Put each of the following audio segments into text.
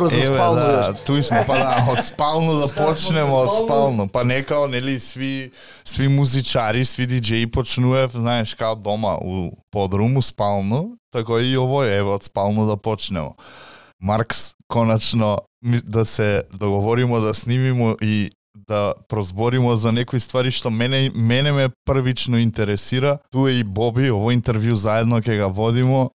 збору за спално. Да, туј сме, па да, од спално да почнеме, од спално. Па некао, нели, сви музичари, сви диџеи почнуев, знаеш, као дома у подруму, спално, тако и овој, еве, од спално да почнеме. Маркс, конечно, да се договоримо, да снимимо и да прозборимо за некои ствари што мене ме првично интересира. Ту е и Боби, ово интервју заедно ќе го водимо.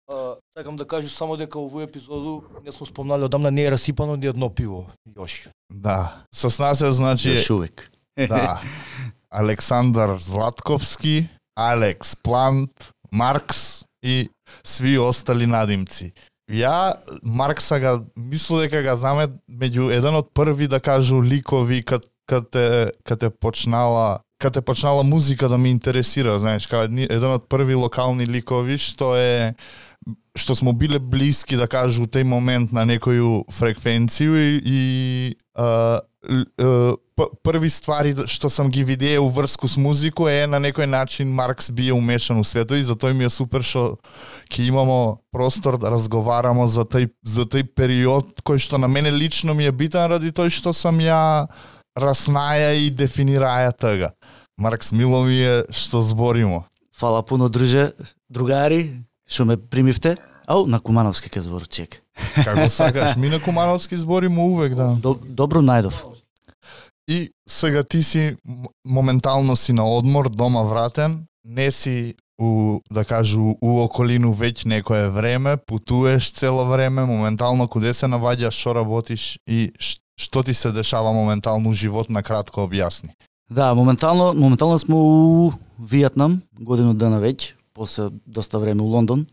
Сакам да кажу само дека овој епизоду не сме спомнали одамна, не е расипано ни едно пиво још. Да, с нас е, значи, Још увек. Да. Александар Златковски, Алекс Плант, Маркс и сви остали надимци. Ја Маркса га мислам дека га знаме меѓу еден од први, да кажу, ликови кате почнала музика да ме интересира, знаеш, као еден од први локални ликови што смо биле блиски, да кажу, у тој момент на некоju фреквенцiju и први ствари што сам ги видеел врску с музику е на некој начин Маркс бие умешан у светот и затоа ми е супер што ќе имамо простор да разговарамо за тој период кој што на мене лично ми е битен ради тој што сам ја раснаја и дефинираја тога. Маркс, мило ми е што зборимо. Фала пуно, друже, другари, што ме примивте. Ау, на Кумановски ке збор, чек. Како сакаш, ми на Кумановски зборимо увек, да. Добро најдов. И сега ти си моментално си на одмор, дома вратен, не си да кажу у околину веќе некое време, путуеш цело време, моментално куде се наваѓаш, што работиш и што ти се дешава моментално у живот, на кратко објасни. Да, моментално сме у Виетнам, годину дена веќе, после доста време у Лондон.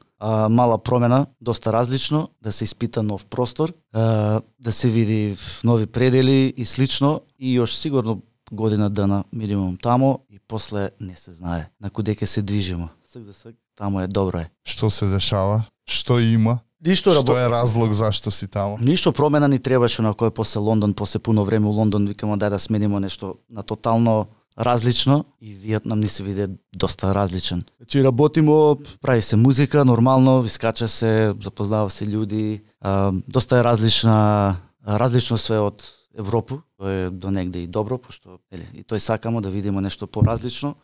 Мала промена, доста различно, да се испита нов простор, да се види нови предели и слично, и još сигурно година дана минимум тамо и после не се знае на куде ќе се движимо. Сак за сак, тамо е добро е. Што се дешава? Што има? Ништо Што е разлог зашто си тамо? Ништо промена ни требаше на кој после Лондон, после пуно време у Лондон, викамо дај да сменимо нешто на тотално различно и Виетнам ни се виде доста различен. Значи работимо, прави се музика, нормално, искача се, запознава се луѓи, доста е различно све од Европа, тоа е до негде и добро, пошто и тој сакамо да видиме нешто поразлично.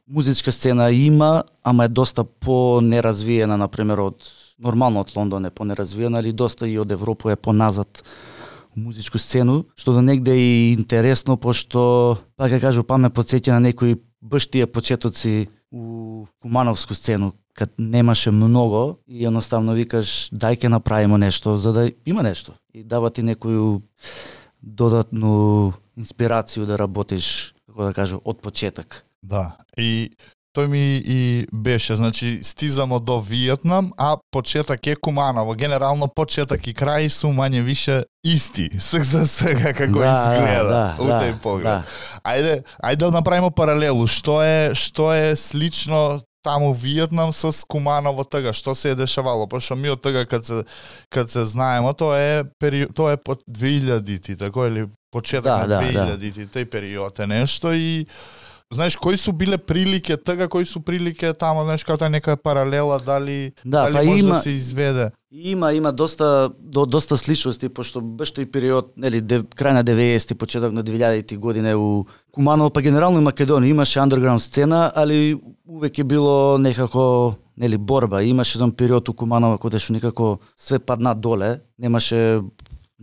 Музичка сцена има, ама е доста понеразвиена, например, нормално од Лондон е понеразвиена, али доста и од Европа е поназад музичку сцену, што до негде е и интересно, пошто, пак кажу, ме подсеќа на некои баш тие почетоци у кумановску сцену, кад немаше много и едноставно викаш дај ке направиме нешто за да има нешто и дава ти некоju додатну инспирацiju да работиш, како да кажу, од почеток. Да, и тој ми и беше, значи стизамо до Виетнам, а почеток е Куманово. Генерално почеток и крај су мање више исти, за сега како изгледа у тој поглед. Ајде да направиме паралелу, што е слично таму Виетнам со Куманово тога, што се е дешавало, пошто ми од тога кад се знаеме, тоа е под 2000-ти, тако или почеток на 2000-ти, тој период е нешто и знаеш кои су биле прилики тога, кои су прилики таму, знаеш како таа нека паралела, дали може да се изведе? Има доста сличности, пошто баш тој период, нели, крај на 90-ти, почеток на 2000-ти години у Куманово, па генерално и Македонија имаше андерграунд сцена, али увек е било некако, нели, борба. Имаше еден период у Куманово кога што некако све падна доле, немаше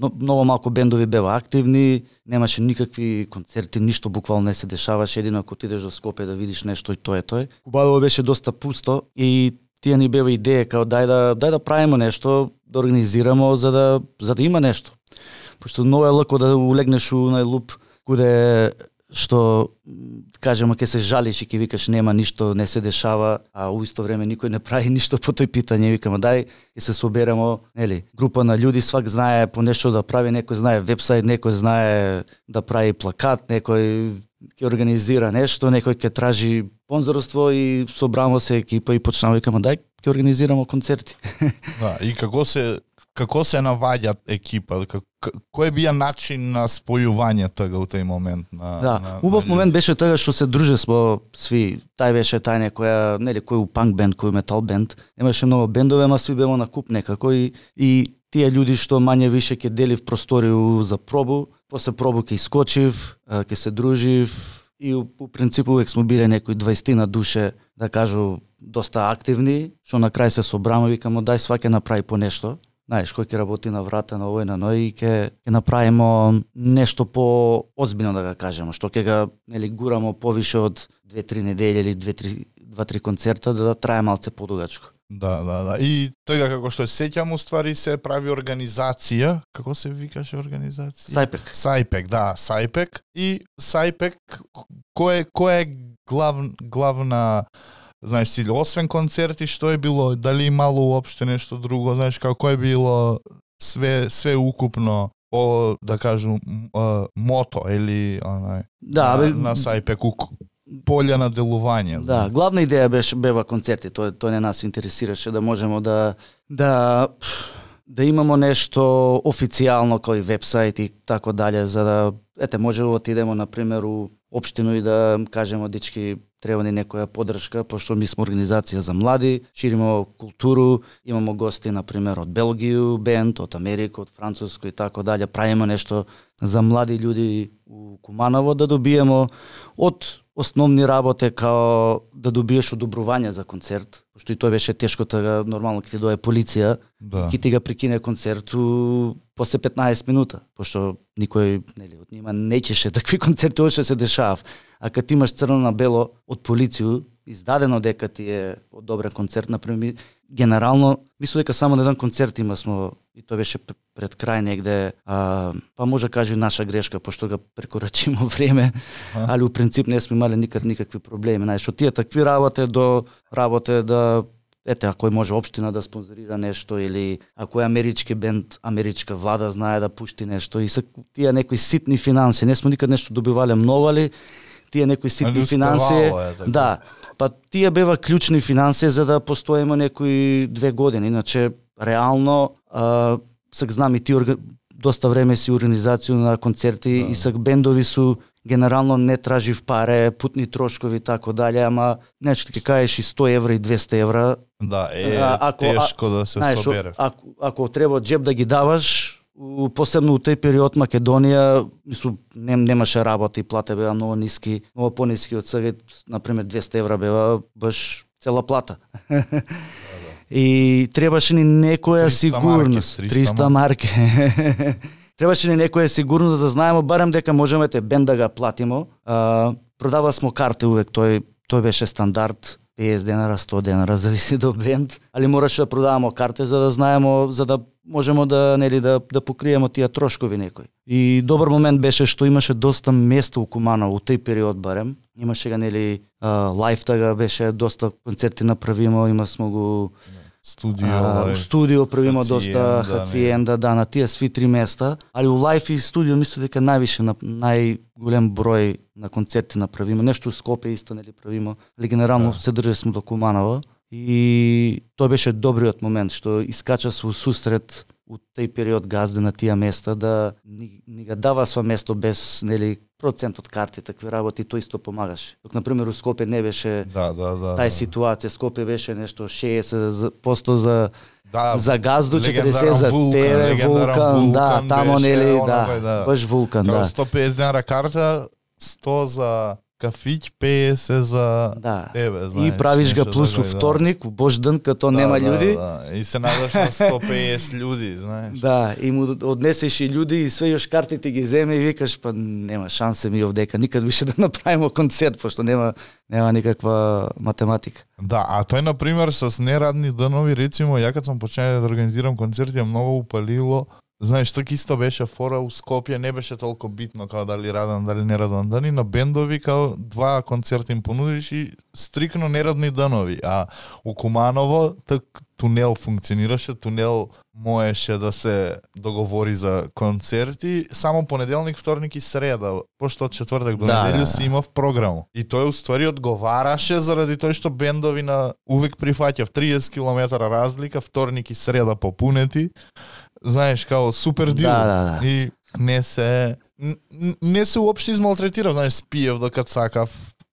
многу малку бендови беа активни, немаше никакви концерти, ништо буквално не се дешаваше, едино ако отидеш до Скопје да видиш нешто и тоа е тој. Куманово беше доста пусто и тие ни беа идеја као дај да правиме нешто, да организирамо за да има нешто. Пошто многу е лако да улегнеш у најлуп куде што кажеме ќе се жалиш и ќе викаш нема ништо, не се дешава, а у исто време никој не прави ништо по тој питање. Викаме дај ќе се соберемо, нели, група на луѓе, свак знае по нешто да прави, некој знае вебсајт, некој знае да прави плакат, некој ќе организира нешто, некој ќе тражи спонзорство и собрамо се екипа и почнеме викаме дај ќе организирамо концерти. Да, и како се како се наваѓат екипа, кој бија начин на спојување тога у тој момент на убав момент беше тога што се дружесмо сви. Тај беше тај некоја, нели, кој у панк бенд, кој у метал бенд. Немаше многу бендове, ама сви беа на куп некако и тие луѓе што мање више ќе делив просторiju за пробу, после пробу ќе искочив, ќе се дружив и у принципу увек сме биле некои 20 на душе, да кажу, доста активни, што на крај се собраме, викамо дај сваќе направи по нешто. Знаеш, кој ќе работи на врата на овој на ној и ќе направимо нешто по озбилно, да го кажеме, што ќе го, нели, гурамо повише од 2-3 недели или 2-3 концерта да трае малце подугачко. Да. И тога како што сеќам, уствари се прави организација, како се викаше организација? Сајпек, да, Сајпек. И Сајпек, кој е главна, знаеш си, освен концерти, што е било, дали имало уопште нешто друго, знаеш, како е било све укупно, да кажу, мото или на Сајпек, полја на делување. Да, главна идеја бева концерти, тој не нас интересираше, да можеме да имамо нешто официјално кој вебсайт и така дале, за да можеме да отидеме на пример у општину и да кажеме дечки треба ни некоја поддршка, пошто ми сме организација за млади, шириме културу, имамо гости на пример од Белгија, бенд, од Америка, од Француско и така дале, правиме нешто за млади луѓе у Куманово, да добиеме од основни работи као да добиеш одобрување за концерт, пошто и тоа беше тешко, тога нормално ќе ти дое полиција, ќе ти го прекине концерту после 15 минута, пошто никој, нели, од нима не чеше такви концерти што се дешавав. А кога ти имаш црно на бело од полицију, издадено дека ти е одобрен концерт, например, генерално, мислам дека само на еден концерт имасмо, и тоа беше пред крај негде, па може кажи наша грешка, пошто го прекорачимо време, али у принцип не сме имали никакви проблеми. Знаеш, од тие такви работи до работи да, ако може општина да спонзорира нешто, или ако е амерички бенд, америчка влада знае да пушти нешто, и тие некои ситни финанси, не сме никад нешто добивале многу, али тие некои ситни финанси, да, па тие бева клучни финанси за да постоиме некои 2 години, иначе реално сак знам и ти доста време си организација на концерти и сак бендови су генерално не тражив паре, путни трошкови и тако дале, ама нешто ќе кажеш и 100 евра и 200 евра. Да, тешко да се собере. Ако треба джеб да ги даваш, посебно у тој период Македонија, мислам, немаше работа и плата беа многу ниски, многу пониски од сега, например 200 евра беа баш цела плата. И требаше ни некоја сигурност, 300 марки. Требаше ни некоја сигурност да знаеме барем дека можеме бенд да го платимо. Продава смо карти увек, тој беше стандард, 50 денара, 100 денара, зависи до бенд, али мораше да продаваме карти за да знаеме, за да можеме да покриеме тие трошкови некои. И добар момент беше што имаше доста место у Куманово, у тој период барем. Имаше га лайф тага беше доста концерти направимо, има смо го студио правимо доста хациенда, да, на тие сви 3 места, али у лайф и студио мислам дека најголем број на концерти направимо. Нешто у Скопје исто правимо, али генерално се држесме до Куманово и тоа беше добриот момент што искача со сусрет у тој период газди на тие места да ни го дава сва место без процент од карти, такви работи, тоа исто помагаше. Док, например, у Скопје не беше тај ситуација, Скопје беше нешто 60% за газду, 40% за тебе, Вулкан, да, тамо баш Вулкан, да. 150 денара карта, 100 за кафиќ, 50 за тебе, знаеш. И правиш га плюс у вторник, у Божј ден, като нема луѓе. И се надаш на 150 луѓе, знаеш. Да, и му однесеш и луѓе и све још картите ги земе и викаш, па нема шансе ми овдека, никад више да направиме концерт, пошто нема никаква математика. Да, а тој, например, с нерадни денови, рецимо, ја кад сам почнал да организирам концерти, многу упалило знаеш, тоа исто беше фора у Скопје, не беше толку битно као дали раден, дали нераден дани, на бендови као 2 концерти им понудиш и стрикно нерадни данови, а у Куманово тунел функционираше, тунел можеше да се договори за концерти само понеделник, вторник и среда, пошто од четвртак до неделја си имав програму. И тој уствари одговараше заради тој што бендови на увек прифаќав 30 км разлика, вторник и среда попунети. Знаеш, као супер дил. И не се уопште измалтретирав, знаеш, спиев докато сакав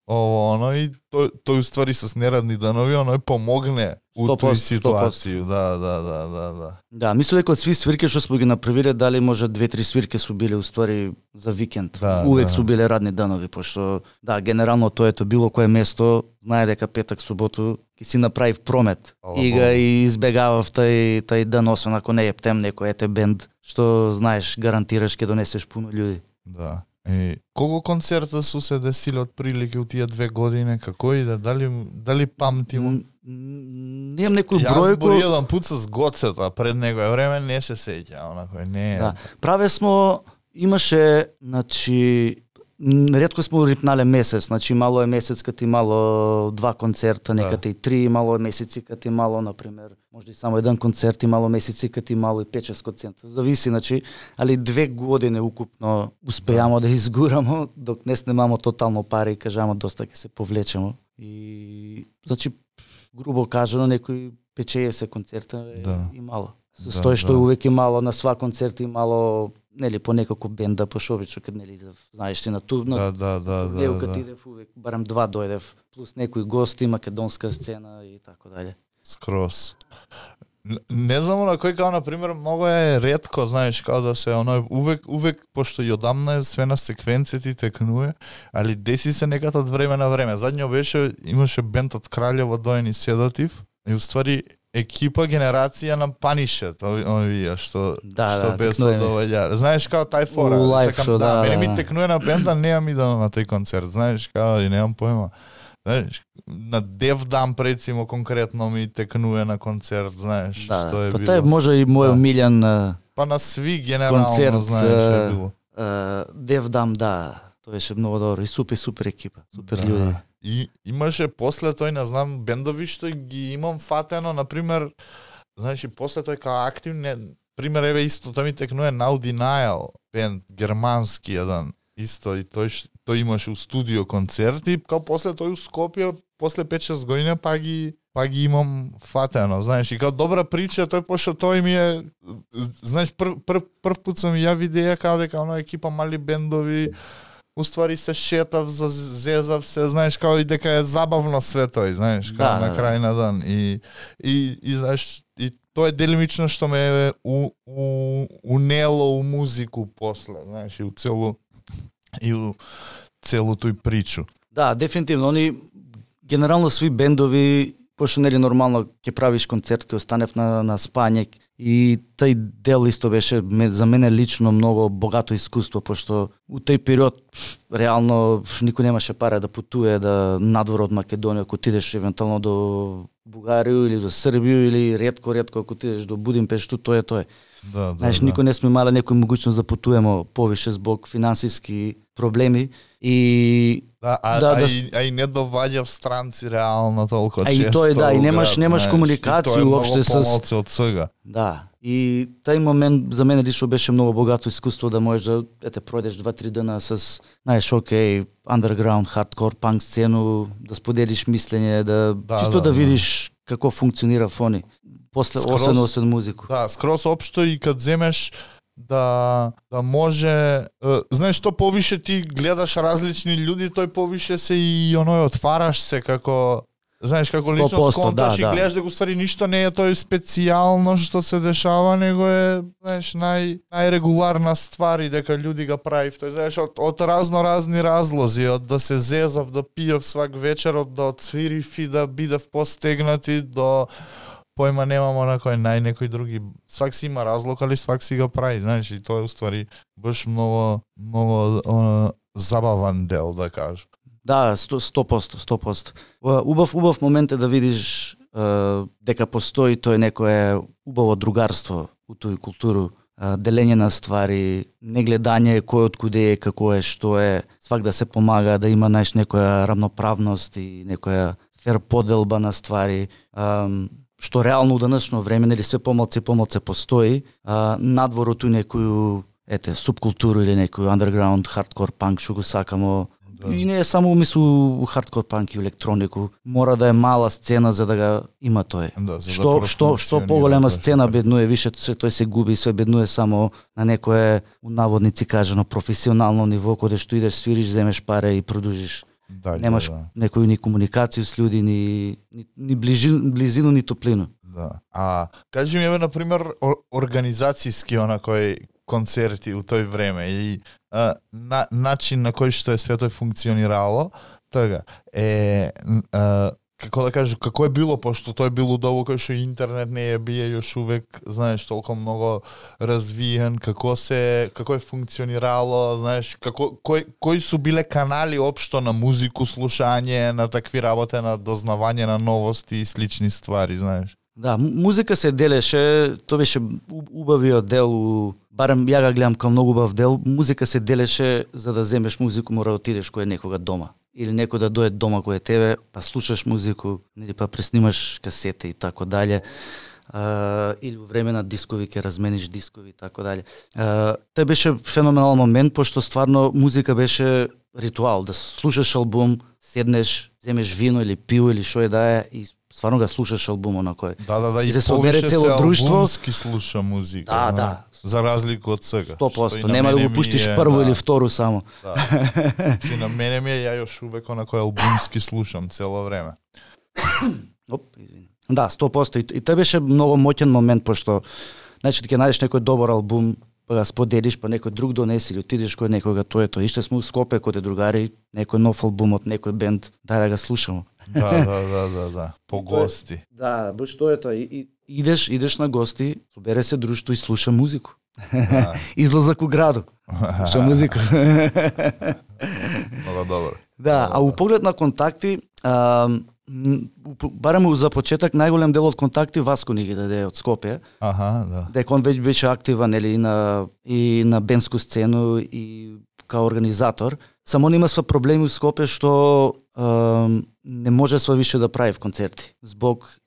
ово, оно, и тој уствари с нерадни данови, оно помогне у тој ситуација. Да. Да, мислам дека од сви свирки што сме ги направиле, дали може 2-3 свирки су биле уствари за викенд. Увек су биле радни данови, пошто генерално тоето било кое место знае дека петак, суботу ќе си направив промет и га избегавав тај ден, освен ако не ептем некој бенд што знаеш, гарантираш ќе донесеш пуно луѓе. Да. И колку концерта су се десиле од прилики у тие 2 години, како иде, дали памтимо? Немам некој бројко. Јас збори еден пат с Гоцета пред некој време, не се сеќа, онако не. Да. Праве смо, имаше, значи, ретко смо рипнале месец, значи мало е месец кад имало 2 концерта, некад и 3, мало е месеци кад имало, например, може и само еден концерт, имало месеци кад имало и 5-6 концерта. Зависи, значи, али 2 години укупно успеамо да изгурамо, док не снимамо тотално пари и кажамо доста ќе се повлечемо. И значи грубо кажано некои 50 концерта и мало. Со тој што увек имало на сва концерт имало нели по некако бенда по шобичо кад нели знаеш ти на турно. Да. Кад идев увек барем 2 дојдев плюс некои гости, македонска сцена и така дале. Скрос. Не знам на кој као на пример многу е ретко, знаеш, као да се оној увек пошто и одамна е све на секвенција ти текнуе, али деси се некад од време на време. Задњо беше имаше бенд од Краљево доени Седатив и уствари екипа генерација на Панишет, овие што без довеѓа. Знаеш као тај фора, сакам мене ми текнуе на бенда, неам идам на тој концерт, знаеш као и немам поема. Знаеш, на Девдам рецимо конкретно ми текнуе на концерт, знаеш, што е било. Па тај може и мој омилен па на сви генерално концерт, знаеш, е било. Девдам, тоа беше многу добро и супер екипа, супер луѓе. И имаше после тој, не знам, бендови што ги имам фатено, например, знаеш, и после тој као активне, пример, еве исто, тој ми текнуе Now Denial, бенд, германски еден, исто, и тој имаше у студио концерти, као после тој у Скопје, после 5-6 години, па ги имам фатено, знаеш, и као добра прича, тој пошто тој ми е, знаеш, прв пут сам ја видеја као дека оно екипа мали бендови, уствари се шетав, зезав се, знаеш, као и дека е забавно све тој, знаеш, као на крај на ден. И знаеш, и тоа е делимично што ме е унело у музику после, знаеш, и у целу тој причу. Да, дефинитивно, они генерално сви бендови, пошто нели нормално ќе правиш концерт, ќе останев на спање и тај дел исто беше за мене лично многу богато искуство, пошто у тој период реално никој немаше пара да путуе да надвор од Македонија, ако отидеш евентуално до Бугарија или до Србија или ретко ако отидеш до Будимпешта, тоа е. Знаеш, никој не сме имале некој могуćност да путуваме повише због финансиски проблеми и и не доваѓа в странци реално толку често. И тој и немаш комуникација уопште со од сега. Да. И тај момент за мене лично беше многу богато искуство да можеш да пројдеш 2-3 дена со знаеш окей, underground, hardcore, панк сцену, да споделиш мислење, чисто да видиш како функционира фони. После освен музику. Да, скрос општо и кад земеш да може, знаеш, што повише ти гледаш различни луѓе, тој повише се и оној отвараш се како, знаеш, како лично сконташ и гледаш дека уствари ништо не е тој специјално што се дешава, него е, знаеш, најрегуларна ствар и дека луѓе га правив. Тој, знаеш, од разни разлози, од да се зезав, да пиев свак вечер, од да отсвирив и да бидев постегнати до појма немамо на кој некои други. Свак си има разлог, али свак си го прави, знаеш, и тоа е уствари баш многу забавен дел, да кажам. Да, 100%. Убав момент е да видиш дека постои тој некое убаво другарство у тој културу. делење на ствари, не гледање кој од куде е, како е, што е, свак да се помага, да има некоја равноправност и некоја фер поделба на ствари, што реално у денешно време, нели све помалце постои, надвор од некоju субкултуру или некој underground, hardcore punk, што го сакамо. Да. И не е само у hardcore punk и електронику, мора да е мала сцена за да го има тој. Да, што поголема сцена беднуе, више се тој се губи, све беднуе само на некое, у наводници кажано, професионално ниво, каде што идеш, свириш, земеш паре и продужиш. Немаш некој ни комуникација с луѓе, ни близину, ни топлину. Да. А кажи ми, на пример, организацијски онакој концерти у тој време и начин на кој што е све тој функционирало, така како да кажу, како е било, пошто тој било дово кој што интернет не е бие још увек, знаеш, толку многу развиен, како е функционирало, знаеш, кои су биле канали општо на музику, слушање, на такви работи, на дознавање на новости и слични ствари, знаеш. Да, музика се делеше, тоа беше убавиот дел, барем ја го гледам како многу убав дел, музика се делеше за да земеш музику, мора да отидеш кој е некога дома. Или некој да дојде дома кој е тебе, па слушаш музику, или па преснимаш касете и така дале. Или во време на дискови ќе размениш дискови и така дале. Тоа беше феноменален момент, пошто стварно музика беше ритуал, да слушаш албум, седнеш, земеш вино или пиво или што е да е и стварно го слушаш албумот на кој. Да, и повише се албумски слуша музика. Да. За разлика од сега. 100%, нема да го пуштиш прво или второ само. Да. И на мене ми е, ја још увек онако албумски слушам цело време. Извини. Да, 100%. И тоа беше многу моќен момент, пошто значи ќе најдеш некој добар албум, па го споделиш, па некој друг донеси или отидеш кој некога, тоа е тоа. Иште сме у Скопје кој другари, некој нов албум од некој бенд, дај да го слушамо. Да. По гости. Да, баш тоа е тоа. И идеш на гости, собере се друштво и слуша музику. Да. Излазак у граду. Слуша музика. Много добро. Да, а у поглед на контакти, барем за почеток најголем дел од контакти Васко ни ги даде од Скопје. Да. Дека он веќе беше активен и на бендску сцену и као организатор. Само нема сва проблеми у Скопје што не може сва више да прави концерти због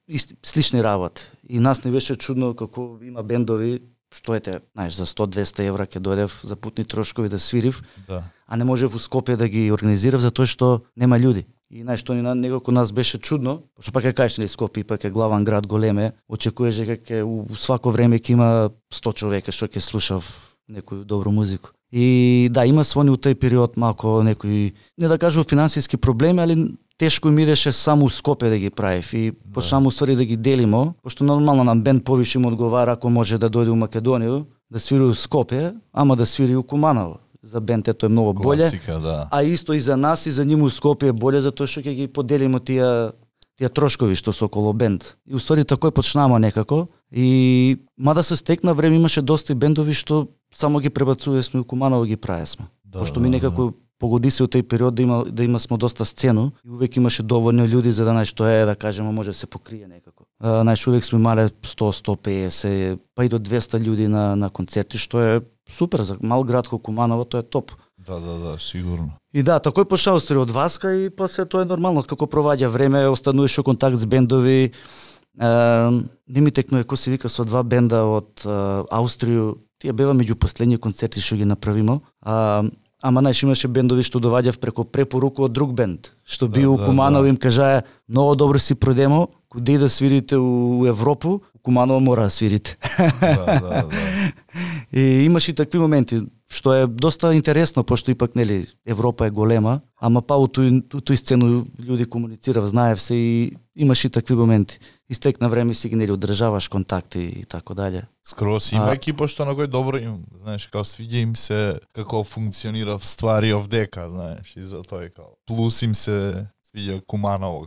слични работи. И нас не беше чудно како има бендови што знаеш, за 100-200 евра ќе дојдев за путни трошкови да свирив, а не можев у Скопје да ги организирав затоа што нема луѓе. И што некако нас беше чудно, пошто пак ќе кажеш, Скопје пак е главен град, големе, очекуваш дека у свако време ќе има 100 човека што ќе слушав некој добро музику. И да, има свони у тој период малку некои, не да кажу финансиски проблеми, али тешко им идеше само у Скопје да ги правив и почнам уствари да ги делимо, пошто нормално нам бенд повише им одговара ако може да дојде у Македонија, да свири у Скопје, ама да свири у Куманово. За бенд е многу боле. Класика, да. А исто и за нас и за нив у Скопје е боле затоа што ќе ги поделимо тие трошкови што се околу бенд. И уствари такој почнама некако и мада се стекна време имаше доста бендови што само ги пребацувавме у Куманово ги правесме. Пошто ми некако погоди се у тој период да има смо доста сцену и увек имаше доволно луѓе за да што е да кажеме може да се покрие некако. Увек сме имале 100-150 па и до 200 луѓе на концерти што е супер за мал град како Куманово, тоа е топ. Да, сигурно. И да, такој почнаа устари од Васка и после тоа е нормално како проваѓа време, остануваш у контакт с бендови. Не ми текнува кој се вика со два бенда од Аустрију. Тие бева меѓу последни концерти што ги направимо. Ама имаше бендови што доваѓав преку препорука од друг бенд, што би у Куманово им кажаа многу добро си продемо, куде да свирите у Европу, у Куманово мора да свирите. Да. И имаше и такви моменти, што е доста интересно, пошто ипак Европа е голема, ама па у тој сцену луѓе комуницирав, знаев се и имаше и такви моменти. Истекна време си ги одржаваш контакти и така дале. Скрос има екипа што на кој добро им, знаеш, као свиѓа им се како функционира ствари овдека, знаеш, и за тоа плюс им се свиѓа Куманово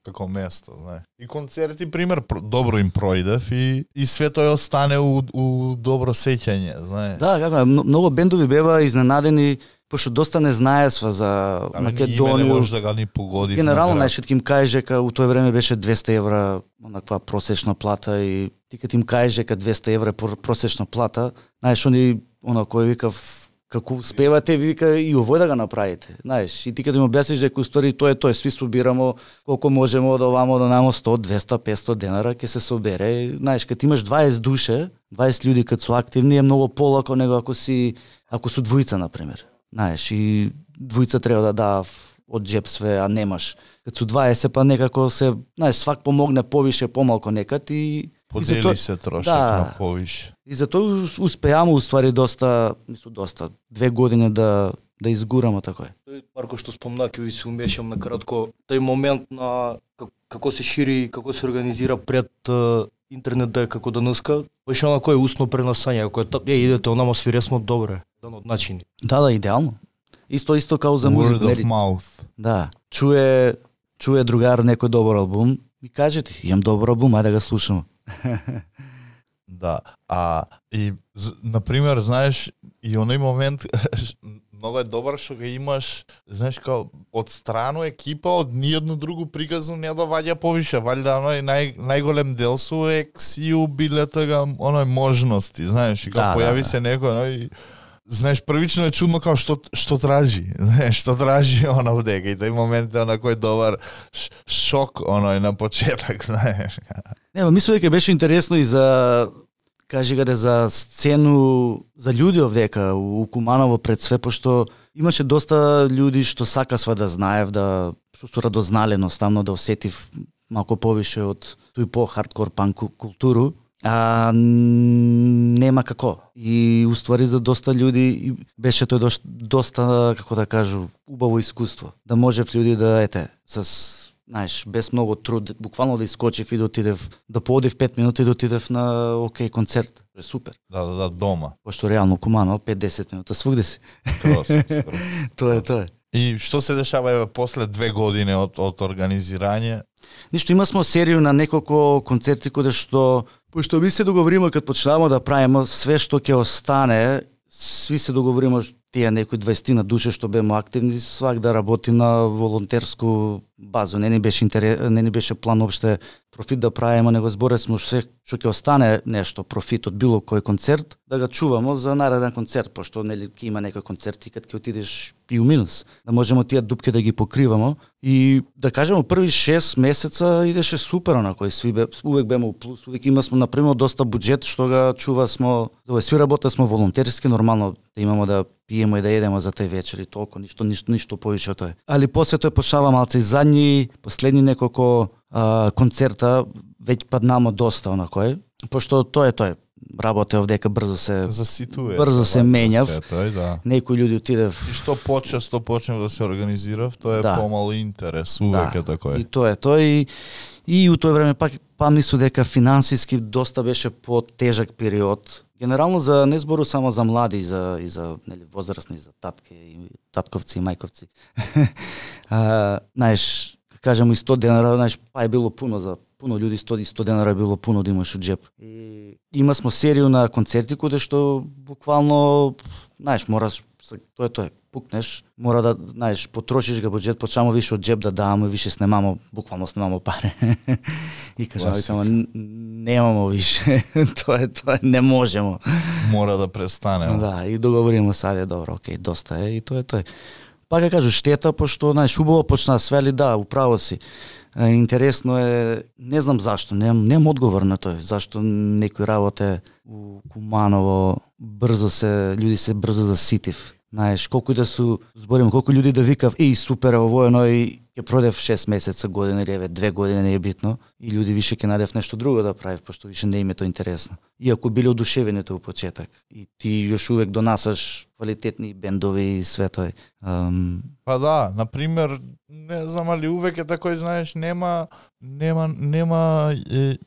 како место, знаеш. И концерти, пример, добро им пројдев и све тоа остане у добро сеќање, знаеш. Да, како многу бендови бева изненадени пошто доста не знаесва за Македонија. Не може да го ни погоди. Генерално најшет им каже дека у тоа време беше 200 евра онаква просечна плата и ти кога им каже дека 200 евра просечна плата, знаеш они кој викав како успевате, вика и овој да го направите. Знаеш, и ти кога им објасниш дека устори тоа сви собирамо колку можеме од овамо до намо 100, 200, 500 денара ќе се собере. Знаеш, кога имаш 20 душе, 20 луѓе кога се активни е многу полако него ако су двојца на пример. Знаеш, и двојца треба да даа од джеп све, а немаш. Кога су 20 па некако се, знаеш, свак помогне повише, помалку некад и подели се трошак на повише. И затоа успеаме уствари доста 2 години да изгураме така е. Марко што спомна, ќе ви се умешам на кратко, тој момент на како се шири, како се организира пред интернет да е како денеска, беше на кој усно пренасање, кој идете онама свиресмо добре, дан од начини. Да, идеално. Исто као за музика. Word of mouth. Да, чуе другар некој добар албум и кажете, имам добар албум, ајде да го слушам. Да, и например, знаеш, и оној момент многу е добар што го имаш, знаеш, као од страно екипа, од ниедно друго приказно не доваѓа повише, валјда оној најголем дел су ексиу биле тога оној можности, знаеш, и као појави се некој, знаеш, првично е чудно као што тражи, знаеш, што тражи она вдека и тој момент е кој добар шок оној на почеток, знаеш. Не, мислам дека беше интересно и за за сцену за луѓе овдека у Куманово пред све, пошто имаше доста луѓе што сакасва да знаев, што су радознали едноставно да осетив малку повише од тој по-хардкор панк културу, а нема како. И уствари за доста луѓе беше тој доста, како да кажу, убаво искуство. Да можев луѓе да знаеш, без многу труд, буквално да искочив и да отидев, да поодев 5 минути и да отидев на концерт. Е супер. Да, дома. Пошто реално Куманово 5-10 минута свугде си. Тоа е. И што се дешава после 2 години од организирање? Ништо, имасмо серију на неколку концерти каде што пошто ми се договориме кога почнаваме да правиме све што ќе остане, сви се договориме тие некои 20 на душе што беме активни, свак да работи на волонтерску база. Не ни беше план опште профит да правиме, него зборевме се што ќе остане нешто профит од било кој концерт, да го чуваме за нареден концерт, пошто нели ќе има некој концерт и кога ќе отидеш и у минус, да можеме тие дупки да ги покриваме и да кажеме први 6 месеца идеше супер на кој увек беме у плюс, увек имасме на пример доста буџет што го чувасме, сви работевме волонтерски, нормално да имаме да пиеме и да едеме за тој вечер и толку, ништо повише од тоа. Али после тој почнава малце и задни, последни неколку концерта веќе паднамо доста онакој, пошто тоа е. Работе овдека брзо се заситува. Брзо се менјав. Да. Некои луѓе отидев. И што почнев да се организирав, тоа е помало интерес, увек е такој. И тоа е тој и у тоа време пак мислам дека финансиски доста беше потежак период. Генерално за не збору само за млади и за нели возрастни, за татковци и мајковци. Знаеш, кажемо и 100 денара, знаеш, па е било пуно за пуно луѓе, 100 денара било пуно да имаш од джеп. И имасмо серију на концерти каде што буквално, знаеш, мораш тоа пукнеш, мора да, знаеш, потрошиш го буџет, почнемо више од джеп да даваме, више снемамо, буквално снемамо пари. И кажаме, немамо више, тоа не можемо. Мора да престане. Да, и договориме саде, добро, окей, доста е, и тоа е тој. Пак ја кажу, штета, пошто, знаеш, убаво почна свели, да, управо си. Интересно е, не знам зашто, немам одговор на тој, зашто некој работе у Куманово луѓе се брзо заситив. Знаеш, колку и да су, зборим, колку луѓе да викав, супер, ово е ќе продев 6 месеца, година или 2 години, не е битно, и луѓе више ќе најдев нешто друго да правив, пошто више не им е тоа интересно. Иако биле одушевени тоа у почеток, и ти још увек донасаш квалитетни бендови и све тој. Па да, например, не знам, али увек е такој, знаеш, нема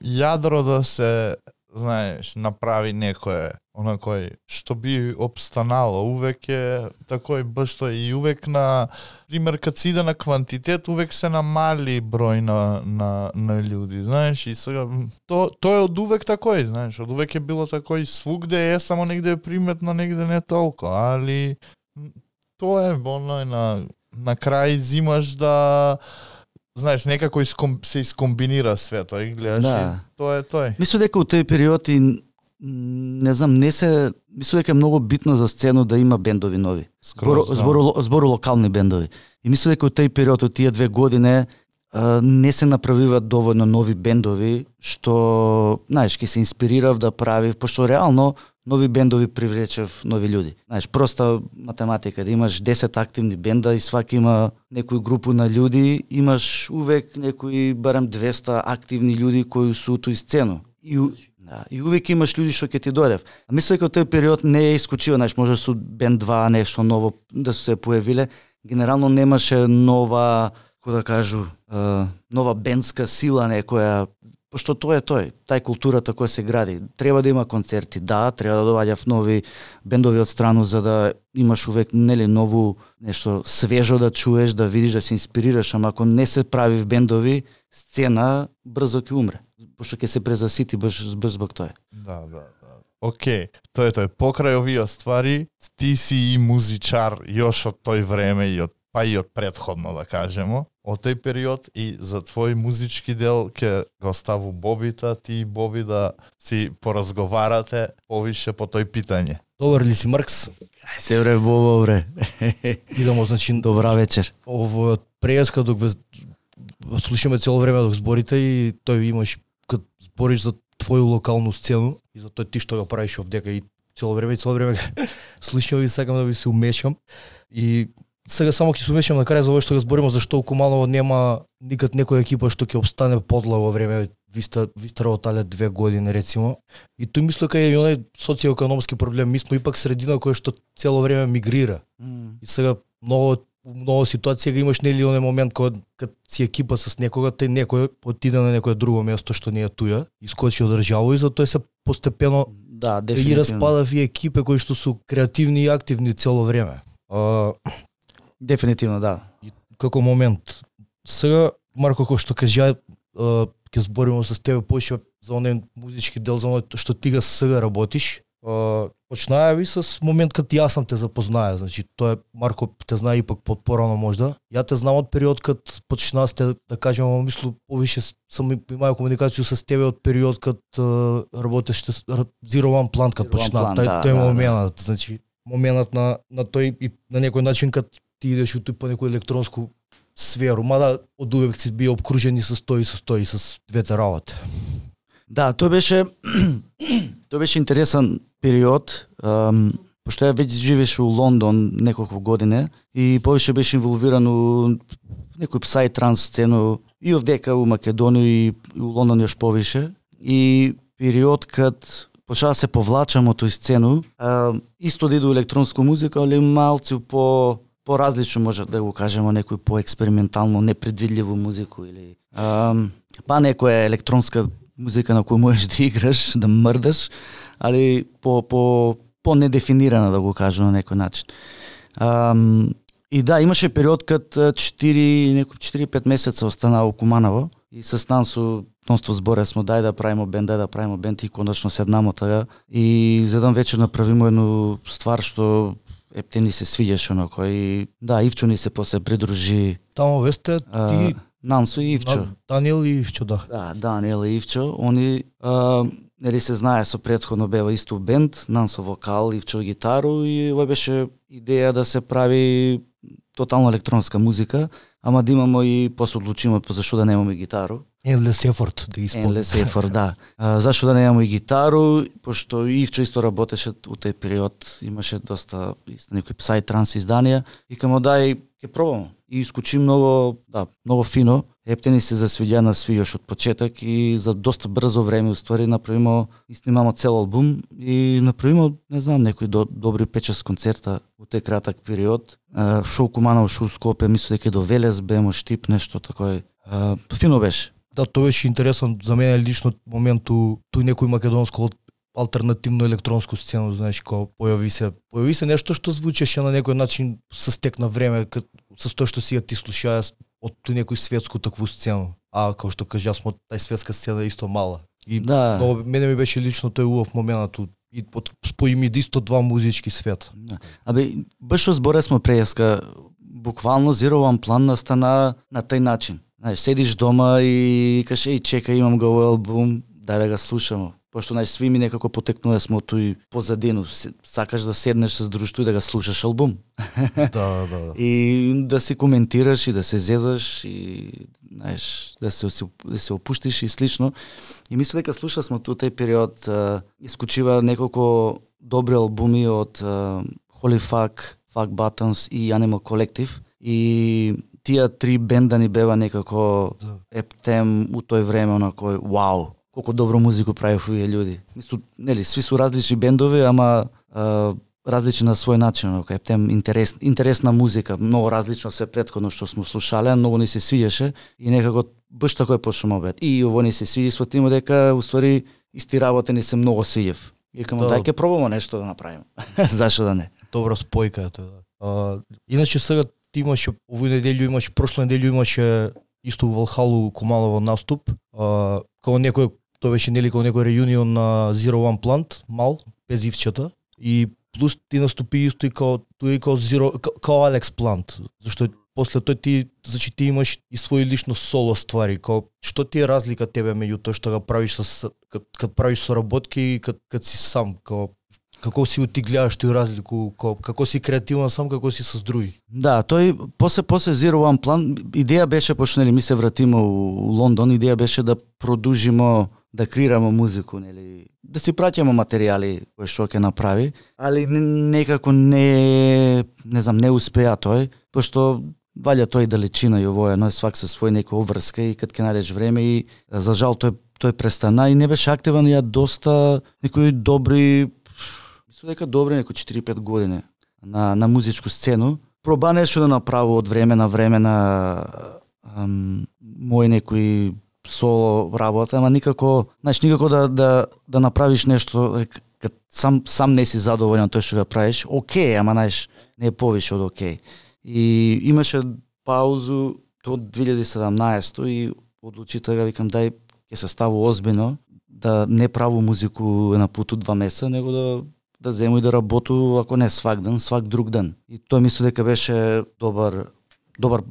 јадро да се, знаеш, направи некое, онакој, што би обстанало, увек е такој баш тој, и увек на пример, кад се иде на квантитет, увек се намали број на луѓе, знаеш, и сега, тоа е од увек такој, знаеш, од увек е било такој, свугде е, само негде е приметно, негде не толку, али тоа е оној на крај зимаш да знаеш некако се искомбинира свето и гледаш Да. и тоа е тој. Мислам дека у тој период и не знам, мислам дека е многу битно за сцену да има бендови нови. Збору локални бендови. И мислам дека у тој период, од тие 2 години, не се направиват доволно нови бендови, што, знаеш, ќе се инспирирав да правив, пошто реално нови бендови привлечев нови луѓе. Знаеш, проста математика, да имаш 10 активни бенда и сваки има некој групу на луѓе, имаш увек некои барем 200 активни луѓе кои су у тој сцену. И увек имаш луѓе што ќе ти дојдев. А мислам дека тој период не е исклучива, знаеш, може со бенд 2 нешто ново да се појавиле. Генерално немаше нова, како да кажу, нова бендска сила некоја, пошто тоа е тој, тај културата која се гради. Треба да има концерти, да, треба да доаѓаат нови бендови од страну за да имаш увек нели ново нешто свежо да чуеш, да видиш, да се инспирираш, ама ако не се прави бендови, сцена брзо ќе умре, пошто ќе се презасити брз због тоа. Да. Океј, тоа е тој. Покрај овие ствари, ти си и музичар још од тој време и од претходно да кажемо, од тој период и за твој музички дел ќе го оставу Бобита, ти и Боби да си поразговарате повише по тој питање. Добар ли си, Маркс? Ај се бре, Бобо бре. Идемо, значи, Добра вечер. Ово преска док слушаме цело време док зборите и тој имаш кад збориш за твоја локалну сцену и за тој ти што го правиш овдека и цело време слушам и сакам да ви се умешам и сега само ќе се умешам на крај за ова што го збориме зашто у Куманово нема никад некоја екипа што ќе обстане подла во време ви сте работале 2 години рецимо и тој мислам дека е оној социоекономски проблем, ми сме ипак средина која што цело време мигрира. И сега много ситуација го имаш нели оној момент кога си екипа с некога, тај некој отиде на некое друго место што не е туја, искочи од држава и затоа се постепено и распада и екипи кои што су креативни и активни цело време. Дефинитивно, да. И како момент. Сега, Марко, кој што кажа, ќе збориме со тебе поише за оној музички дел, за оној што ти га сега работиш. Почнаја ви с момент кад јас сам те запознаја, значи тоа е Марко те знае ипак порано можда. Ја те знам од период кад почнаа сте да кажеме, мислу повише сам имаја комуникација со тебе од период кад работеше Zero One Plant кад почна тој момент, значи моментот на тој и на некој начин кад ти идеш у по некој електронску сферу, мада од увек си бил обкружен и со двете работи. Да, тоа беше интересен период, пошто ја веќе живееше у Лондон неколку години и повеќе беше инволвиран у некој псай-транс сцену и овдека у Македонија и у Лондон још повише. И период кад почнаа се повлачам од тој сцену, исто да иду електронска музика, али малци по-различно може да го кажеме, некој по-експериментално, непредвидливо музику или па некоја електронска музика на која можеш да играш, да мрдаш, али по недефинирана да го кажам на некој начин. И да, имаше период кад 4-5 месеца останаа у Куманово и с Нансо нонсто зборе смо дај да правиме бенд и конечно седнамо тага и за еден вечер направиме едно ствар што епте ни се свиѓаше онако и да, Ивчо ни се после придружи. Тамо весте ти Нансо и Ивчо. Даниел и Ивчо, да. Да, Даниел и Ивчо, они нели се знае со претходно бева исто бенд, Нансо вокал, Ивчо гитару и ова беше идеја да се прави тотално електронска музика, ама да имамо и после одлучиме зашто да немаме гитару. Endless Effort, да ги спомнам. Endless Effort, да. Зашто да немаме и гитару, пошто Ивчо исто работеше у тој период, имаше доста некои псай-транс изданија и камо дај ќе пробамо. И искочи многу фино. Епте ни се засвиѓа на сви од почеток и за доста брзо време уствари направимо и снимамо цел албум и направимо, не знам, некои добри 5-6 концерта у тој краток период. Шоу Куманово, шоу Скопје, мислам дека до Велес бемо Штип, нешто такое. Фино беше. Да, тоа беше интересно за мене лично моменту тој некој македонско алтернативно електронско сцена, знаеш, кога појави се нешто што звучеше на некој начин со стек на време, со тоа што си ти слушаја од некој светску такву сцену. А како што кажа, смо тај светска сцена исто мала. И да. мене ми беше лично тој убав моментот и спои ми исто два музички света. Абе, баш што зборе смо преска, буквално Zero One Plan настана на тај начин. Знаеш, седиш дома и каже, и чека, имам го албум, дај да го слушам. Пошто сви ми некако потекнува смо тој позадину. Сакаш да седнеш со друштво и да го слушаш албум. Да. И да си коментираш и да се зезаш и знаеш, да се опуштиш и слично. И мислам дека слушав смо тој период исклучува неколку добри албуми од Holy Fuck, Fuck Buttons и Animal Collective. И тие три бенда ни бева некако ептем у тој време на кој вау, колку добро музику правев овие луѓе. Мислам, нели, сви су различни бендови, ама различни на свој начин, ептем интересна музика, многу различно све претходно што смо слушале, многу ни се свиѓаше и некако баш така е почнемо бед. И ово ни се свиѓа, сватимо дека уствари исти работи ни се многу свиѓав. И кажам, дај ќе пробамо нешто да направиме. Зашо да не? Добра спојка е тоа. Иначе сега ти имаше овој неделју имаше, прошла неделју имаше исто у Валхалу Куманово наступ. Као некој, тоа беше нели као некој реунион на Zero One Plant, мал, без ивчета. И плюс ти наступи исто и као Zero, као Алекс Плант. Зашто после тој ти, значи ти имаш и своји лично соло ствари. Као што ти е разлика тебе меѓу тоа што го правиш кад правиш соработки и кад си сам, као како си ти гледаш тој разлику, како си креативен сам, како си со други? Да, тој после Zero One Plan идеја беше, пошто нели ми се вратиме у Лондон, идеја беше да продужимо да креираме музику, нели, да си праќаме материјали кои што ќе направи, али некако не знам, не успеа тој, пошто валја тој далечина и овој едно свак со свој некој обврска и кад ќе најдеш време и за жал тој престана и не беше активен ја доста некои добри, мислам дека добри некои 4-5 години на музичку сцену. Проба нешто да направи од време на мој некои соло работа, ама никако да направиш нешто кад сам не си задоволен тој што го правиш. Океј, ама не е повише од океј. И имаше паузу до 2017 и одлучи да викам дај ќе се ставу озбиljно да не праву музику на путу 2 месеца, него да зему и да работу, ако не свак ден, свак друг ден. И тоа мислам дека беше добар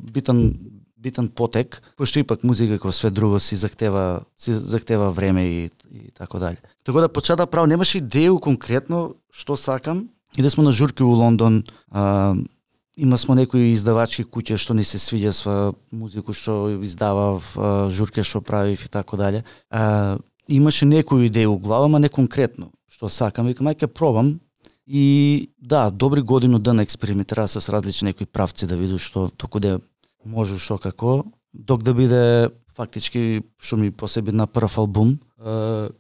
битен потек, пошто ипак музика како све друго си захтева време и така дали. Така да почна да правам, немаше идеја конкретно што сакам. И да сме на журки у Лондон, има смо некои издавачки куќи што ни се свиѓа со музику што издавав, журке што правив и така дали. Имаше некои идеи у глава, ама не конкретно што сакам, викам, ќе пробам. И да, добри годину ден експериментира с различни некои правци да видиш што токуде може што како, док да биде фактички што ми посеби на прв албум,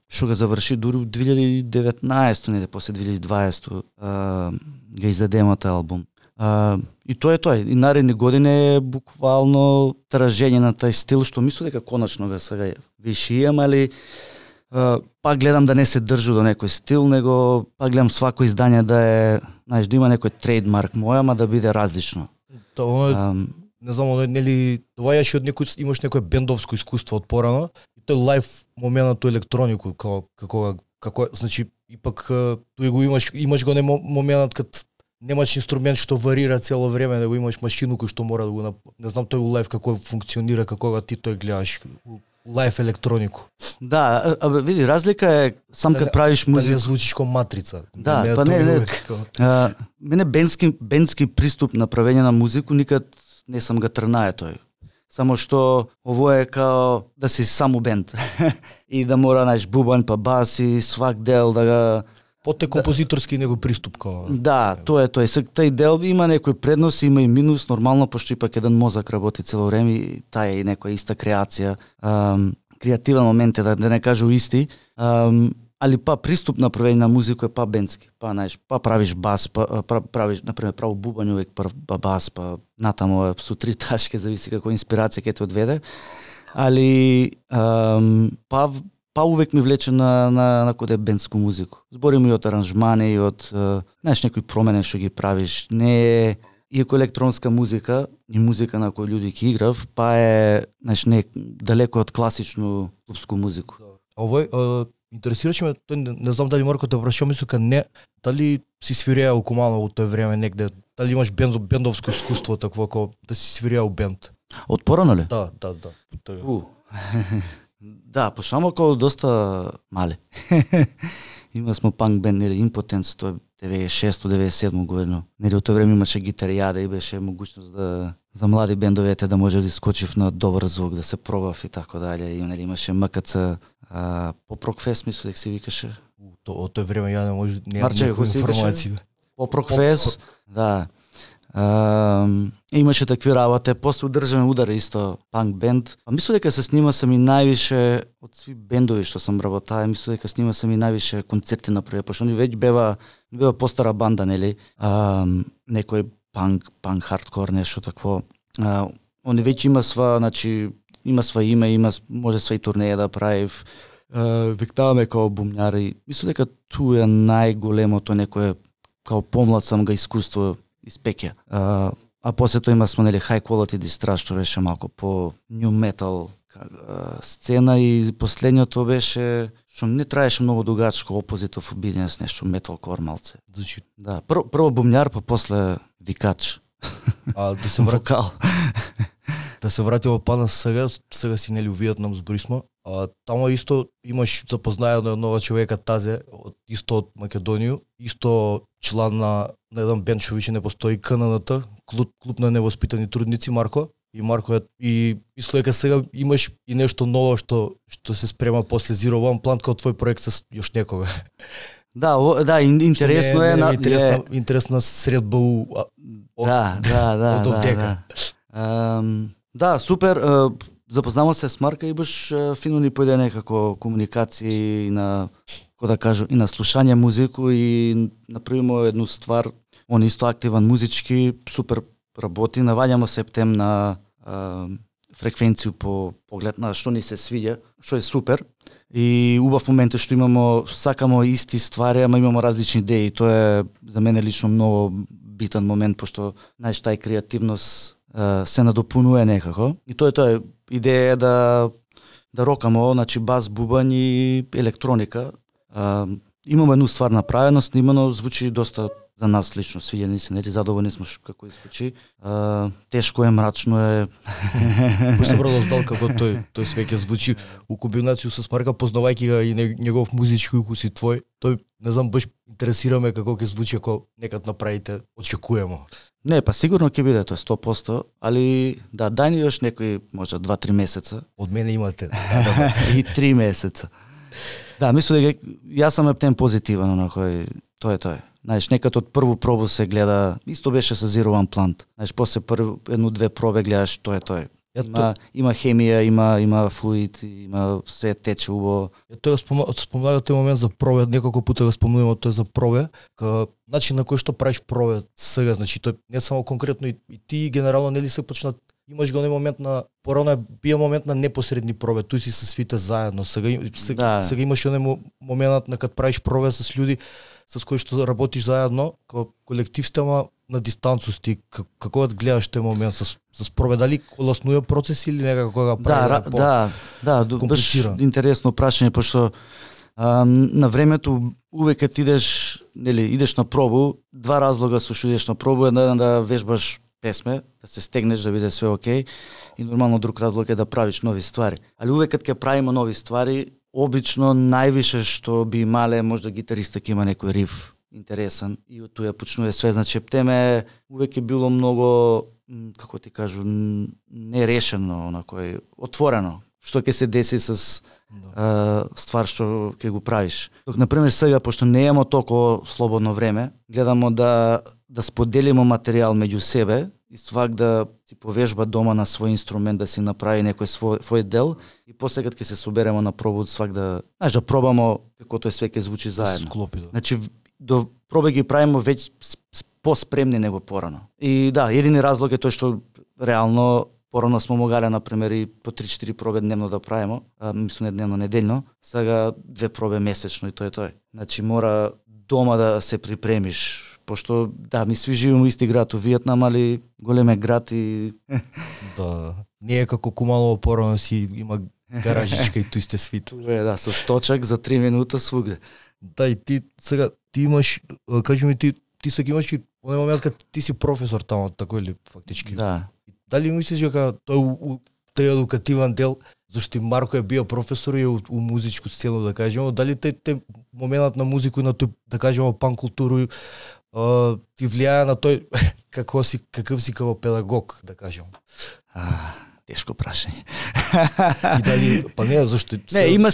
што го заврши дури 2019, не после 2020 го издадеме тој албум. И тоа е тој. И наредни години е буквално тражење на тај стил, што мислам дека конечно го сега виши имам, али пак гледам да не се држу до некој стил, него пак гледам свако издание да е, знаеш, да има некој трейдмарк мој, ама да биде различно. Тоа не знам, нели доаѓаш од некој, имаш некое бендовско искуство од порано, и тој лайв моментот електронику како значи ипак тој го имаш го моментот кад немаш инструмент што варира цело време, да го имаш машину кој што мора да го не знам тој лайв како функционира, како ти тој гледаш лайв електронику. Да, види, разлика е сам кад правиш музика. Дали звучиш како матрица. Да, па не. Мене бендски приступ на правење на музику никад не сам го трнае тој. Само што ово е као да си само бенд. И да мора најш бубан па бас и свак дел да го Поте композиторски него приступ као. Да, тоа е тој. Тај дел има некој предност, има и минус, нормално пошто ипак еден мозок работи цело време и таа е некоја иста креација. Креативен момент е да не кажу исти. Али па приступ на правење на музика е па бендски. Па знаеш, па правиш бас, правиш например право бубањ увек па бас, па натаму со 3 ташки, зависи како инспирација ќе те одведе. Али па увек ми влече на коде бендску музику. Зборим и од аранжмани и од знаеш некои промени што ги правиш. Не е иако електронска музика и музика на кој луѓе ќе играв, па е знаеш не далеко од класично клубску музику. Овој интересираше ме, тој не знам дали Марко те прашува, мислам не, дали си свиреа у Куманово тој време негде, дали имаш бендовско искуство такво како да си свиреа у бенд? Од порано ли? Да. Да, почнемо како доста мали. Има смо панк бенд, нели, Импотенс, тоа е 96-97 година. Нели, од тоа време имаше гитаријада и беше могуćност да за млади бендовете да може да искочив на добар звук, да се пробав и така дале. И нели имаше МКЦ, Поп-рок фест, мислам дека се викаше. Од тоа време ја не може Марче, некоја информација. Поп-рок фест, да. Имаше такви работи, после Државен удар исто панк бенд. Мислам дека се снима сами највише од сви бендови што сам работаа, мислам дека снима сами највише концерти направи, пошто они веќе бева постара банда, нели? Некој панк хардкор нешто такво. Они веќе има сва име, може сва и турнеја да прави. Виктаваме као бумњари. Мислам дека тоа е најголемото некое као помлад сам га искуство испеќа. А после тоа има сме нели high quality дистрас, што беше малку по new metal сцена и последното беше што не траеше многу дугачко, Opposite of Obedience, нешто metalcore малце. Значи, да, прво бумњар, па после викач. Да се вокал. Да се вратиме пана сега си нели у Виетнам зборисмо. Тамо исто имаш запознаено нова човека Тазе, исто од Македонија, исто члан на еден бенд што више не постои, КННТ, клуб на невоспитани трудници, Марко. И Марко и мислам дека сега имаш и нешто ново што се спрема после Zero One Plant како твој проект со још некога. Да, интересно е на интересна средба од овдека. Да, супер. Запознавам се с Марка и баш фино ни појде некако комуникација на, како да кажу, и на слушање музику и направимо едну ствар. Он исто активан музички, супер работи, наваѓамо септем на фреквенцију по поглед на што ни се свиѓа, што е супер. И убав момент е што сакамо исти ствари, ама имамо различни идеи. Тоа е за мене лично многу битен момент, пошто знаеш тај креативност се надопунува некако. И тоа е идеја да рокамо, значи бас, бубањ и електроника. Имаме едну ствар направено, снимано, звучи доста за нас лично, свиѓа ни се, нели задоволни сме како звучи. Тешко е, мрачно е. Баш се продоздал како тој свеќе звучи у комбинацију со Марка, познавајќи га и негов музички укус и твој. Тој не знам, баш интересираме како ќе звучи ако некад направите, очекуваме. Не, па сигурно ќе биде тоа 100%, али да, дај ни још некои може 2-3 месеца. Од мене имате. И 3 месеца. Да, мислам дека јас сум ептен позитивен на кој тоа е. Знаеш, некад од прву пробу се гледа, исто беше со Zero One Plant. Знаеш, после едну-две проби гледаш тоа е. Има хемија, има флуид, има се тече убаво. Тоа спомнава тој момент за пробе, неколку пати го спомнуваме тоа за пробе, начин на кој што правиш пробе сега, значи тоа не само конкретно и ти генерално нели се почнат, имаш го момент на порано бие момент на непосредни пробе, туј си се свите заедно. Сега имаш оној моментот на кад правиш пробе со луѓе со кои што работиш заедно, како колектив сте, ама на дистанцусти. Како да гледаш тој момент со пробе, дали олеснува процес или некако кога прави да, баш интересно прашање, пошто на времето увек кога идеш на пробу, два разлога со што идеш на пробу, еден да вежбаш песме, да се стегнеш да биде све окей, и нормално друг разлог е да правиш нови ствари. Али увек кога ќе правиме нови ствари, обично највише што би имале можда гитариста ќе има некој риф интересен и од тоа почнува све, значи теме увек е било многу, како ти кажу, нерешено, онакој отворено. Што ќе се деси со ствар што ќе го правиш. Например сега, пошто не имамо толку слободно време, гледамо да споделиме материјал меѓу себе и свак да си повежба дома на свој инструмент, да си направи некој свој дел и после кога ќе се собереме на пробу, свак да пробамо како тоа све ќе звучи заедно. Значи до проби ги правиме веќе поспремни него порано. И да, едини разлог е тој што реално порано смо могале, например, и по 3-4 проби дневно да правиме, мислам не дневно, неделно, сега 2 проби месечно и тоа е тоа. Значи мора дома да се припремиш, пошто да, ми сви живееме во исти град, во Виетнам, али голем е град и да, не е како Куманово порано си има гаражичка и тој сте свит. Да, со сточак за 3 минута свугде. Да, и ти сега ти имаш, кажи ми ти сега имаш и во момент кога ти си професор таму, тако или фактички. Да. Дали мислиш дека тој едукативен дел, зашто и Марко е бил професор и у музичку сцена, да кажеме, дали те моментот на музику и на тој, да кажеме, пан културу ти влијае на тој каков си како педагог, да кажеме? Тешко прашање. И дали, па не, зашто... Не, има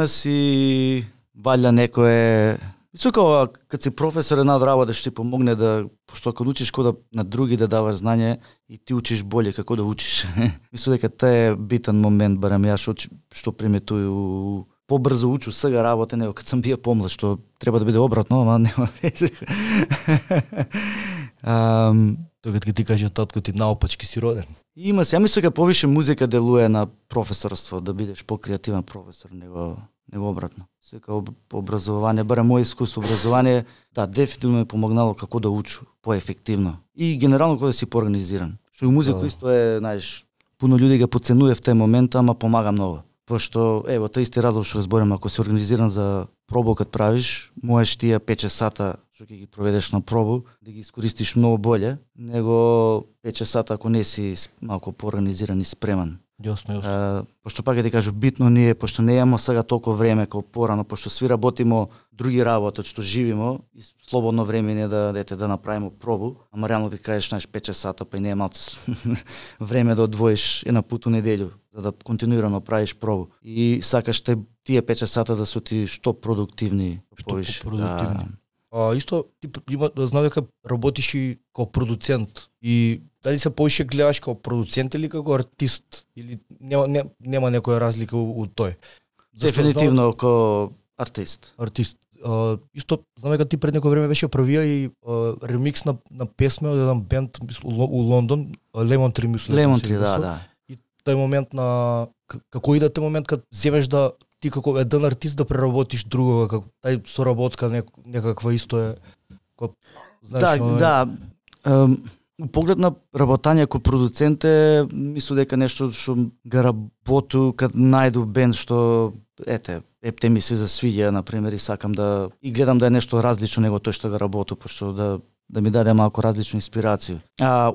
си валја некое... Мислам, кога си професор една од работа што ти помогне да, пошто кога учиш кода на други да даваш знање и ти учиш боле како да учиш. Мислам дека тоа е битен момент, барем ја што приметую побрзо учу сега работа, него кога сум бија помлад, што треба да биде обратно, ама нема везе. Тоа кога ти каже татко ти наопачки си роден. Има се, ја мислам дека повише музика делуе на професорство, да бидеш покреативен професор, него обратно. Сека образование, барем мој искус образование, да, дефинитивно ме помогнало како да учу поефективно. И генерално кога да си поорганизиран. Што и музика исто е, знаеш, пуно луѓе го подценува в тој момент, ама помага многу. Пошто, ево, тој исти разлог што зборим, ако си организиран за пробу кад правиш, можеш тие 5 часата што ќе ги проведеш на пробу, да ги искористиш многу боле, него 5 часата ако не си малку поорганизиран и спреман. Јасно. Пошто пак ќе ти кажу, битно ние, пошто не имамо сега толку време како порано, пошто сви работимо други работи, што живимо, и слободно време не да направиме пробу, ама реално ти кажеш, знаеш, 5 часата, па и не е малце време да одвоиш една пут у неделю, за да континуирано правиш пробу. И сакаш тие 5 часата да се ти што продуктивни. Што продуктивни. Исто, ти знам дека работиш и како продуцент и дали се повише гледаш како продуцент или како артист или нема некоја разлика у тој? Дефинитивно како артист. Артист. Исто, знам дека ти пред некој време беше правија и ремикс на песме од еден бенд у Лондон, Lemon Tree мислам. Lemon Tree, да. И тој момент на како иде тој момент кога земеш да ти како еден артист да преработиш другога, како тај соработка некаква исто е. Знаеш, да. У поглед на работање како продуцент е, мислам дека нешто што га работу кад најду бенд што епте ми се засвиѓа, например, и сакам да и гледам да е нешто различно него тој што га работу, пошто да ми даде малку различна инспирација.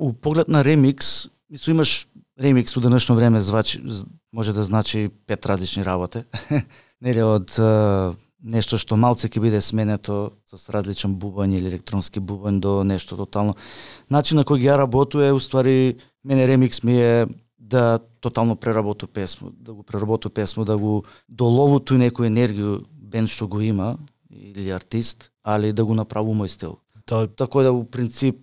У поглед на ремикс, мислам имаш ремикс у денешно време може да значи 5 различни работи. Нели од нешто што малце ќе биде сменето со различен бубањ или електронски бубањ до нешто тотално. Начин на кој ја работу е уствари мене ремикс ми е да тотално преработу песму, да го доловуту некоја енергија бенд што го има или артист, али да го направи мој стил. Така да у принцип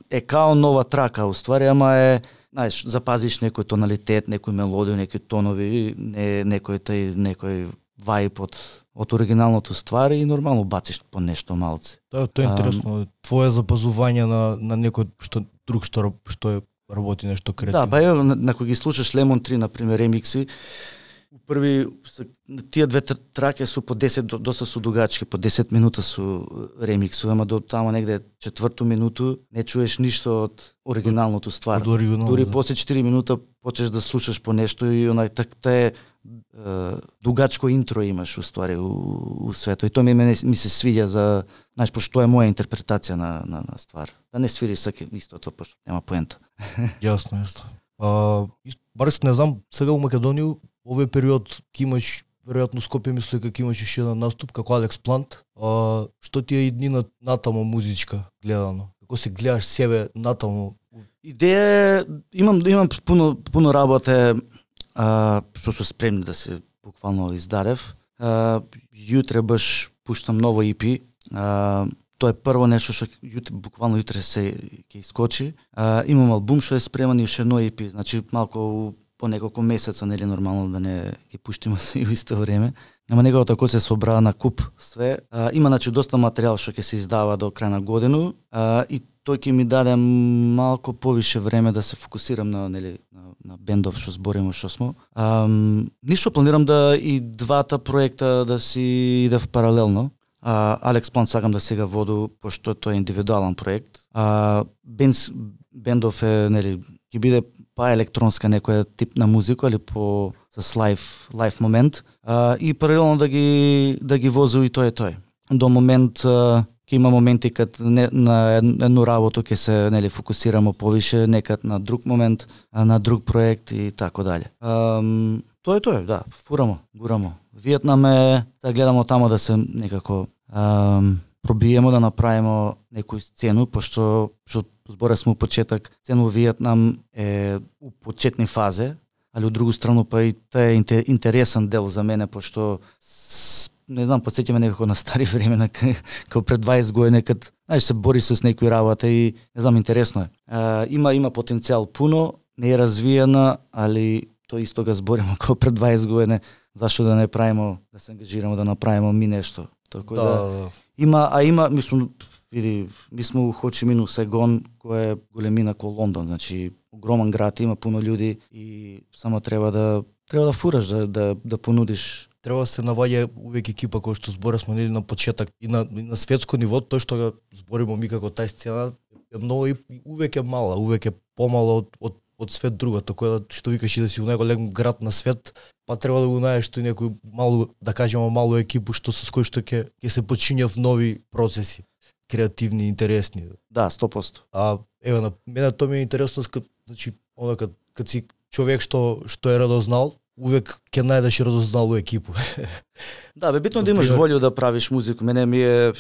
е као нова трака уствари, ама е, знаеш, запазиш некој тоналитет, некој мелодија, некои тонови, некој вајб од оригиналното ствари и нормално бациш по нешто малце. Тоа е интересно. Твое запазување на некој што работи нешто креативно. Да, па на кој ги слушаш Lemon Tree, например, ремикси, први тие две траке су по 10 доста су дугачки, по 10 минута су ремиксу, ама до тamo негде 4-ту минуту не чуеш ништо од оригиналното ствар. Дури после 4 минута почнеш да слушаш по нешто и онај така дугачко интро имаш уствари у свето. И тоа ми се свиѓа за, знаеш, пошто е моја интерпретација на ствар. Да не свири саке истото, пошто нема поента. Јасно. Барес не знам, сега у Македонија овој период ќе имаш веројатно Скопје, мислам дека ќе имаш уште еден наступ како Алекс Плант. Што ти е иднина натаму музичка гледано? Како се гледаш себе натаму? Идеја имам пуно работа што су спремни да се буквално издадев. Јутре баш пуштам ново EP. Тоа е прво нешто што буквално јутре се ќе искочи. Имам албум што е спреман и уште едно EP, значи малку по неколку месеца, нели нормално да не ги пуштиме и во исто време. Нема него тако се собра на куп све. Има значи доста материјал што ќе се издава до крај на година и тој ќе ми даде малку повише време да се фокусирам на бендов што збориме што смо. Ништо планирам да и двата проекта да си идев паралелно. Алекс Плант сакам да сега воду, пошто тоа е индивидуален проект. Бендов е, ќе биде па електронска некоја тип на музика, или по с лайв момент, и паралелно да ги возу и тој. До момент ќе има моменти кад на едно работа ќе се нели фокусираме повише, некад на друг момент, на друг проект и така дале. Тоа, да, фурамо, гурамо. Виетнам е, да гледамо тамо да се некако пробиемо да направиме некој сцену, пошто збора сме у почеток, сцену Виетнам е у почетни фазе, али од друга страна па и тоа е интересен дел за мене, пошто не знам, подсеќаме некако на стари времена, како пред 20 години, кад се бори с некои работа и не знам, интересно е. Има потенцијал пуно, не е развиена, али тоа исто го збориме како пред 20 години, зашто да не правиме, да се ангажираме да направиме ми нешто. Така да. Има, мислам, види, ми сме у Хо Чи Мин, Сайгон, кој е големина ко Лондон, значи огромен град, има пуно луѓе и само треба да фураш, да понудиш. Треба да се наваѓа увек екипа кој што зборевме нели на почеток и на светско ниво, тоа што го збориме ми како тај сцена е многу и увек е мала, увек е помало од свет друга, така да што викаш и да си у најголем град на свет, па треба да го најдеш тој некој малу, да кажеме малу екипу што со кој што ќе се починјав нови процеси, креативни, интересни. Да, 100%. Еве на мене тоа ми е интересно, значи она кад си човек што е радознал, увек ќе најдеш радозналу екипу. Да, битно да имаш волја да правиш музика. Мене ми е,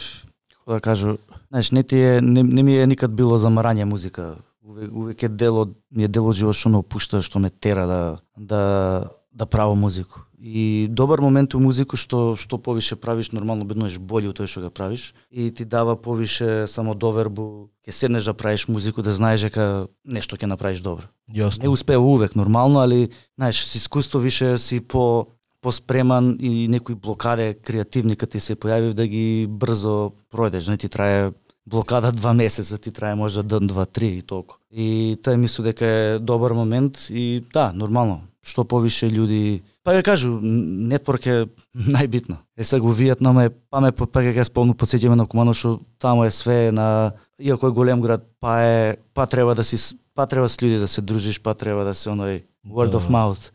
како да кажу, знаеш, не ми е никад било замарање музика. Увек е ми е дел од живот што ме опушта, што ме тера да правам музику. И добар момент у музику што повише правиш, нормално биднеш бољи од тоа што го правиш и ти дава повише самодовербу, ќе седнеш да правиш музику, да знаеш дека нешто ќе направиш добро. Јасно. Не успева увек нормално, али знаеш, с искуство више си поспреман и некои блокаде креативни кога ти се појави да ги брзо пројдеш, не ти трае блокада 2 месеца, ти трае може ден, 2, 3 и толку. И тоа мислам дека е добар момент и да, нормално, што повише луѓе. Па ја кажу, нетворк е најбитно. Сега го Виетнам е, па ќе сполно подсеќаме на Кумано, што тамо е све на, иако е голем град, па треба с луѓе да се дружиш, па треба да се оној word of mouth.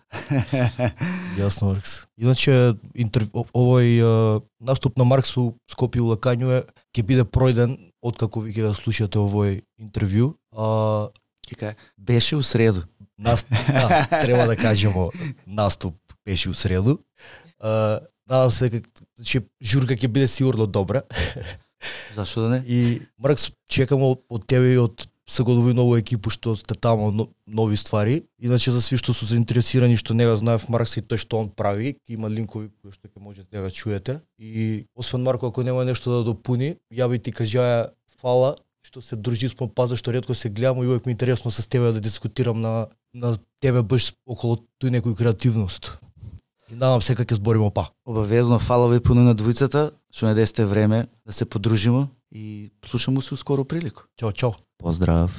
Јасно, Маркс. Иначе овој наступ на Маркс у Скопје у Лакању ќе биде пројден откако ви ќе го слушате овој интервју. Беше у среду. Треба да кажеме, наступ беше у среду. Надам се дека журка ќе биде сигурно добра. Зашто да не? И Маркс, чекаме од тебе и од Сагодови ново екипу што сте тамо нови ствари. Иначе за сви што се заинтересирани што не го знаев Маркс и тој што он прави, има линкови кои што ќе можете да го чуете. И освен Марко, ако нема нешто да допуни, ја би ти кажаја фала што се дружи спон паза, што ретко се гледам и увек ми е интересно с тебе да дискутирам на тебе баш околу тој некој креативност. И надам се дека ќе збориме па. Обавезно, фала ви пуно на двојцата, што не десте време да се подружиме и слушаме се скоро прилику. Чао, чао. Поздрав.